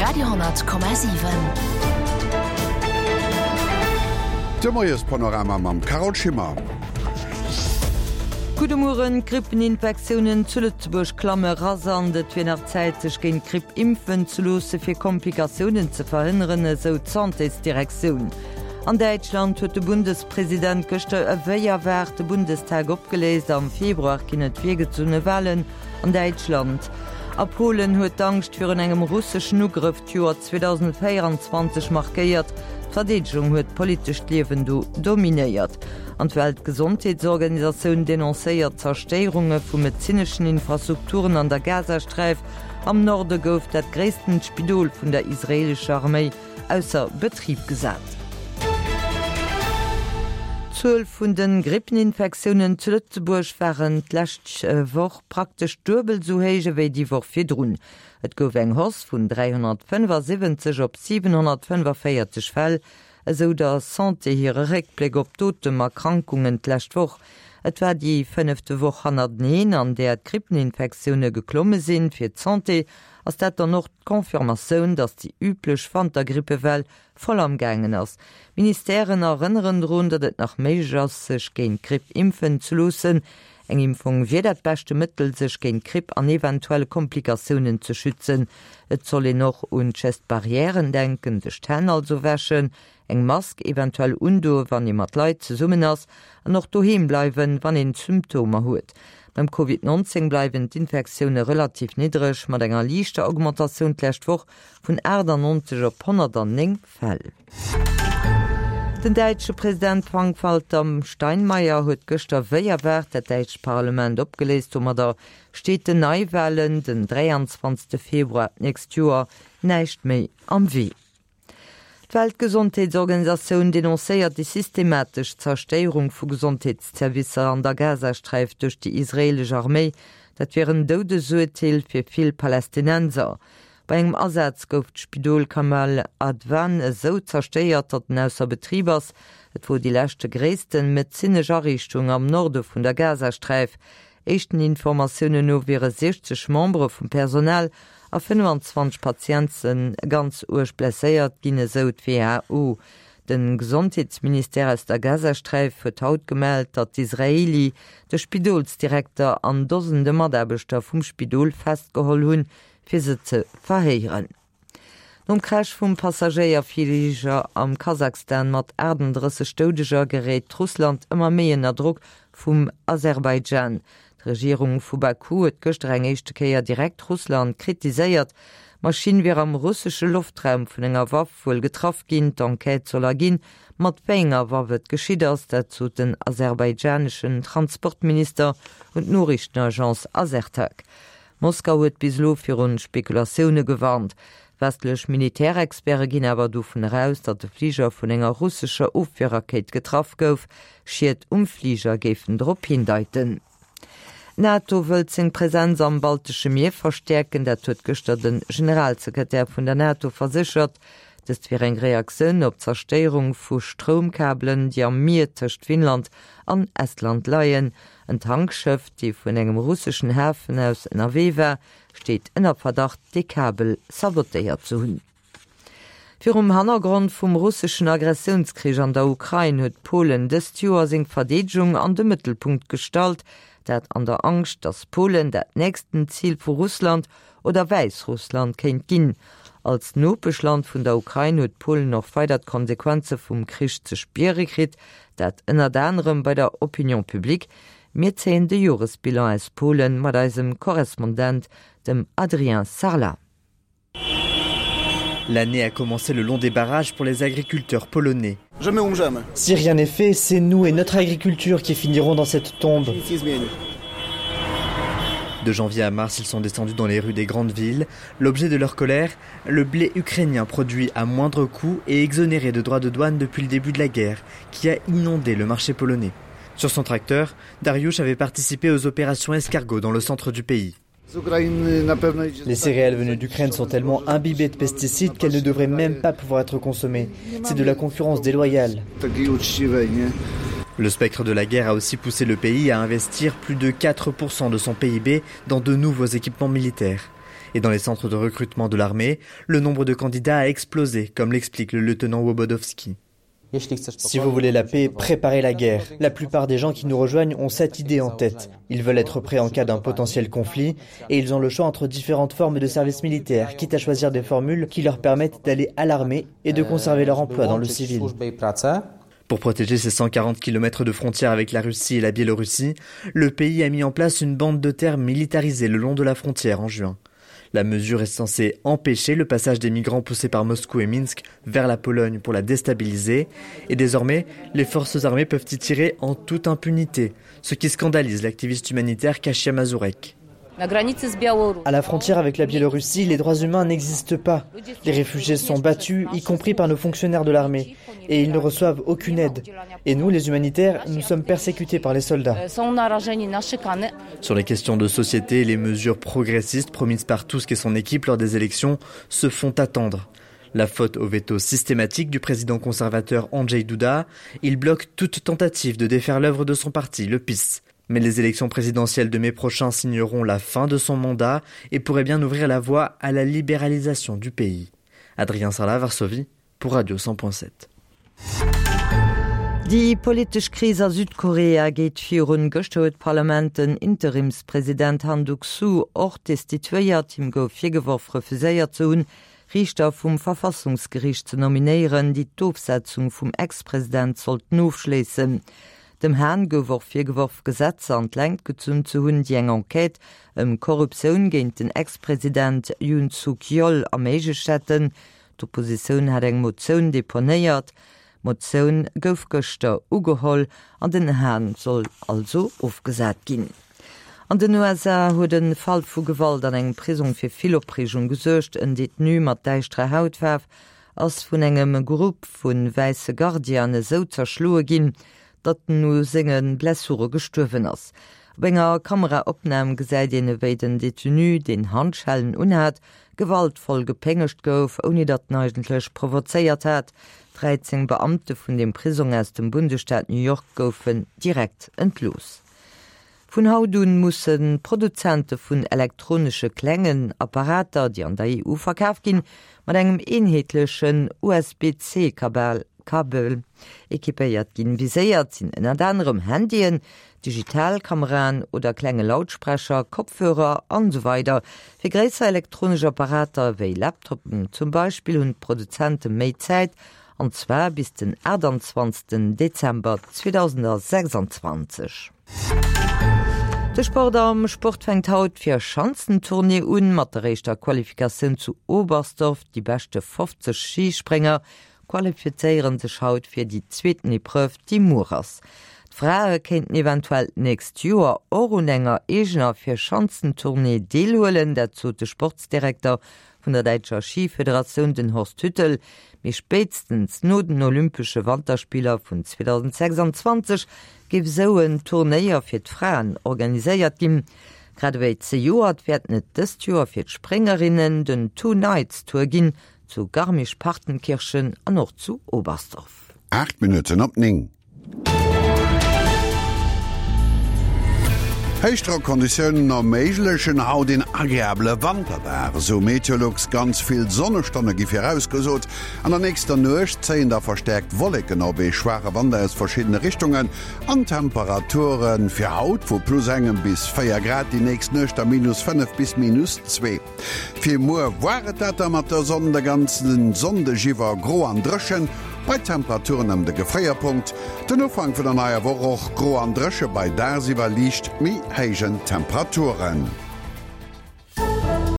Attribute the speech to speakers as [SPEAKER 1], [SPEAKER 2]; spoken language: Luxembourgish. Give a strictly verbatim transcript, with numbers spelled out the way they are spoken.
[SPEAKER 1] Radio honnert Komma siwen.
[SPEAKER 2] De Moiespanorama mam Carole Schimmer.
[SPEAKER 3] Gudde Mueren, Grippeninfektiounen zu Lëtzebuerg klamme rasant. Et wier nach Zäit, sech géint d'Gripp impfen ze loosse fir Komplikatiounen ze verhënneren, esou d'Santésdirektioun. An Däitschland huet de Bundespresident gëschter ewéi erwaart de Bundestag opgeléist. Am Februar ginn et virgezunne Walen an Däitschland. A Polen huet d'Angscht virun engem russeschen Ugrëff d'Joer zweedausendvéierundzwanzeg markéiert. D'Verdeedegung huet d'politescht Liewen do dominéiert. An d'Weltgesondheetsorganisatioun denoncéiert Zerstéierunge vu medezineschen Infrastrukturen an der Gazasträif. Am Norde gouf dat gréisstent Spidol vun der israeelescher Arméi ausser Betrib gesat. D'Zuel vun de Grippeninfektiounen zu Lëtzebuerg waren d'lescht Woch praktesch duebel esou héich ewéi déi Woch virdrun. Et gouf eng Hausse vun dräihonnertfënnefasiwwenzeg op siwenhonnertfënnefavierzeg Fäll, esou der Santé hire Réckbléck op d'Otemerkrankungen d'lescht Woch. Et war déi fënnefte Woch hannerteneen, an där d'Grippeninfektioune geklomme sinn. Fir d'Santé ass dat dann och d'Confirmatioun, datt déi üblech Wantergrippewell voll am gaangen ass. D'Ministèren erënneren drun, datt et nach méiglech ass, sech géint d'Gripp impfen ze loossen. Eng Impfung wier dat beschte Mëttel, sech géint d'Gripp an eventuell Komplikatiounen ze schützen. Et soll een och un d'Gestes barrièren denken, sech d'Hänn also wäschen, eng Mask eventuell undoen, wann ee mat Leit zesummen ass, an och doheem bleiwen, wann een Symptomer huet. Beim Covid nonzéng bleiwen d'Infektioune relativ niddreg, mat enger liichter Augmentatioun d'lescht Woch vun aachtannonzeg op honnertanneng Fäll. Den däitsche President Frank-Walter Steinmeier huet gëschter wéi erwaart dat däitscht Parlement opgeléist. Domadder steet den Neiwalen den dräianzwanzegste Februar d'nächst Joer näischt méi am Wee. D'Weltgesondheetsorganisatioun denoncéiert déi systematesch Zerstéierung vu Gesondheetszervicer an der Gazasträif duerch déi israeelesch Arméi. Dat wier en Doudesurteel fir vill Palästinenser. Bei engem Asaz gouf d'Spidol Kamal Adwan esou zerstéiert, datt en ausser Betrib ass. Et wor déi leschte gréissten medezinesch Ariichtung am Norde vun der Gazasträif. Éischten Informatiounen no wiere siechzeg Membere vum Personal a fënnefenzwanzeg Patiente ganz uerg blesséiert ginn, esou d'WHO. De Gesondheetsministère aus der Gazasträif huet haut gemellt, datt d'Israeli de Spidolsdirekter an Dosende Mataarbechter vum Spidol festgeholl hunn, fir se ze verhéieren. Nom Crash vum Passagéierfliger am Kasachstan mat achtendrësseg Doudeger geréit Russland ëmmer méi ënner Drock vum Aserbaidschan. D'Regierung vu Baku huet gëschter eng éischte Kéier direkt Russland kritiséiert. D'Maschinn wier am russesche Loftraum vun enger Waff wuel getraff ginn. D'Enquête soll erginn, mat wéi enger Waff et geschitt ass. Dat sot den aserbaidschaneschen Transportminister un d'Noriichtenagence Asertag. Moskau huet bis elo virun Spekulatioune gewarnt. Westlech Militärexperte ginn awer dovun eraus, datt de Fliger vun enger russescher Ofwierrakéit getraff gouf. Schied um Fliger géifen drop hindeiten. D'NATO wëllt seng Presenz am Baltesche Mier verstäerken. Dat huet gëschter de Generalsekretär vun der NATO verséchert. Dëst wier eng Reaktioun op d'Zerstéierung vu Stroumkabelen, déi am Mier tëscht Finnland an Estland leien. En Tankschëff, dee vun engem russeschen Hafen aus ënnerwee war, steet ënner Verdacht, dee Kabel sabotéiert ze hunn. Virum Hannergrond vum russeschen Agressiounskrich an der Ukrain huet Polen dëst Joer seng Verdeedegung an de Mëttelpunkt gestallt. Dat an der Angscht, datt Polen dat nächsten Zil vu Russland oder Wäissrussland kéint ginn. Als Nopeschland vun der Ukrain huet Polen och weider d'Konsequenze vum Krich ze spiere kritt, dat ënnert anerem bei der Opinion publique. Mir zéien de Joresbilan aus Polen mat eisem Korrespondent, dem Adrien Sarlat.
[SPEAKER 4] L'année a commencé le long des barrages pour les agriculteurs polonais.
[SPEAKER 5] Si rien n'est fait, c'est nous et notre agriculture qui finirons dans cette tombe.
[SPEAKER 4] De janvier à mars, ils sont descendus dans les rues des grandes villes. L'objet de leur colère, le blé ukrainien produit à moindre coût et exonéré de droits de douane depuis le début de la guerre, qui a inondé le marché polonais. Sur son tracteur, Dariusz avait participé aux opérations escargots dans le centre du pays.
[SPEAKER 5] Les céréales venues d'Ukraine sont tellement imbibées de pesticides qu'elles ne devraient même pas pouvoir être consommées. C'est de la concurrence déloyale.
[SPEAKER 4] Le spectre de la guerre a aussi poussé le pays à investir plus de quatre pour cent de son P I B dans de nouveaux équipements militaires. Et dans les centres de recrutement de l'armée, le nombre de candidats a explosé, comme l'explique le lieutenant Wobodowski.
[SPEAKER 5] Si vous voulez la paix, préparez la guerre. La plupart des gens qui nous rejoignent ont cette idée en tête. Ils veulent être prêts en cas d'un potentiel conflit et ils ont le choix entre différentes formes de service militaire, quitte à choisir des formules qui leur permettent d'aller à l'armée et de conserver leur emploi dans le civil.
[SPEAKER 4] Pour protéger ses cent quarante kilomètres de frontières avec la Russie et la Biélorussie, le pays a mis en place une bande de terre militarisée le long de la frontière en juin. La mesure est censée empêcher le passage des migrants poussés par Moscou et Minsk vers la Pologne pour la déstabiliser. Et désormais, les forces armées peuvent y tirer en toute impunité, ce qui scandalise l'activiste humanitaire Kasia Mazurek.
[SPEAKER 5] À la frontière avec la Biélorussie, les droits humains n'existent pas. Les réfugiés sont battus, y compris par nos fonctionnaires de l'armée, et ils ne reçoivent aucune aide. Et nous, les humanitaires, nous sommes persécutés par les soldats.
[SPEAKER 4] Sur les questions de société, les mesures progressistes promises par Tusk et son équipe lors des élections se font attendre. La faute au veto systématique du président conservateur Andrzej Duda, il bloque toute tentative de défaire l'œuvre de son parti, le PiS. Mais les élections présidentielles de mai prochain signeront la fin de son mandat et pourraient bien ouvrir la voie à la libéralisation du pays. Adrien Sarlat, Varsovie, pour Radio cent point sept.
[SPEAKER 3] Déi politesch Kris a Südkorea geet virun. Gëschter huet d'Parlament den Interimspresident Han Duck-soo och destituéiert. Him gouf virgeworf, refuséiert ze hunn, Riichter vum Verfassungsgeriicht ze nominéieren, déi d'Ofsetzung vum Ex-President sollten ofschléissen. Dem Han gouf och virgeworf, Gesetzer an d'Längt gezunn ze hunn, déi eng Enquête ëm Korruptioun géint den Ex-President Yoon Suk-yeol erméiglecht hätten. D'Oppositioun hat eng Motioun deponéiert. D'Motioun gouf gëschter ugeholl an den Han soll also ofgesat ginn. An den U S A huet en Fall vu Gewalt an engem Prisong fir vill Opreegung gesuergt. En Detenu mat däischterer Hautfaarf ass vun engem Grupp vun wäisse Gardiane sou zerschloe ginn, datt en u senge Blessure gestuerwen ass. Op enger Kameraopnam gesäit een, ewéi den Detenu, deen Handschellen unhat, gewaltvoll gepéngegt gouf, ouni datt en eigentlech provozéiert hat. dreizéng Beamte vun dem Prisong aus dem Bundesstaat New York goufen direkt entlooss. Vun haut un mussen Produzente vun elektronesche klengen Apparater, déi an der E U verkaaft ginn, mat engem eenheetlechen U S B C Kabel, Kabel equipéiert ginn. Viséiert sinn ënnert anerem Handyen, Digitalkameraen oder klenge Lautsprecher, Kopfhörer an so weider. Fir gréisser elektronesch Apparater wéi Laptoppen zum Beispill hunn d'Produzente méi Zäit, an zwar bis den achtundzwanzigsten Dezember zweitausendsechsundzwanzig. De Sport am Sport fänkt haut fir Schanzentournee un mat der éischter Qualifikatioun zu Oberstdorf. Die beste fofzeg Skispringer qualifizéieren sech haut fir die zweeten Épreuve, déi muer ass. D'Frae kéinten eventuell nächst Joer och un enger eegener fir Schanzentournee deelhuelen, dat sot de Sportsdirekter vun der Däitscher Skiföderatioun, den Horst Hüttel. Mee spätestens no den Olympesche Wanterspieler vun zweitausendsechsundzwanzig géif sou en Turnéier fir d'Fraen organiséiert ginn. Grad ewéi zejoert wäert net dëst Joer fir d'Springerinnen den Two Nights Tour ginn, zu Garmisch-Partenkirchen an och zu Oberstdorf.
[SPEAKER 2] Acht Minuten op ning. Héichdrockkonditionen erméiglechen haut den agreable Wanterdag. So Meteolux ganz vill Sonnestonne gi vorausgesot. An der nächster Nuecht zéien da verstärkt Wolleken op ee schwache Wander aus verschiedene Richtungen an Temperaturen fir haut vu plus engem bis véier Grad, die nächst Nuecht da minus fënnef bis minus zwee. Fir muer war et dat da mat der Sonne de ganzen Sonndeg iwwer gro an dréchen, bei Temperaturen ëm de Gefréierpunkt. Den Ufank vun der neier Woch och gro an dréche bei dagsiwwer liicht méi héijen Temperaturen.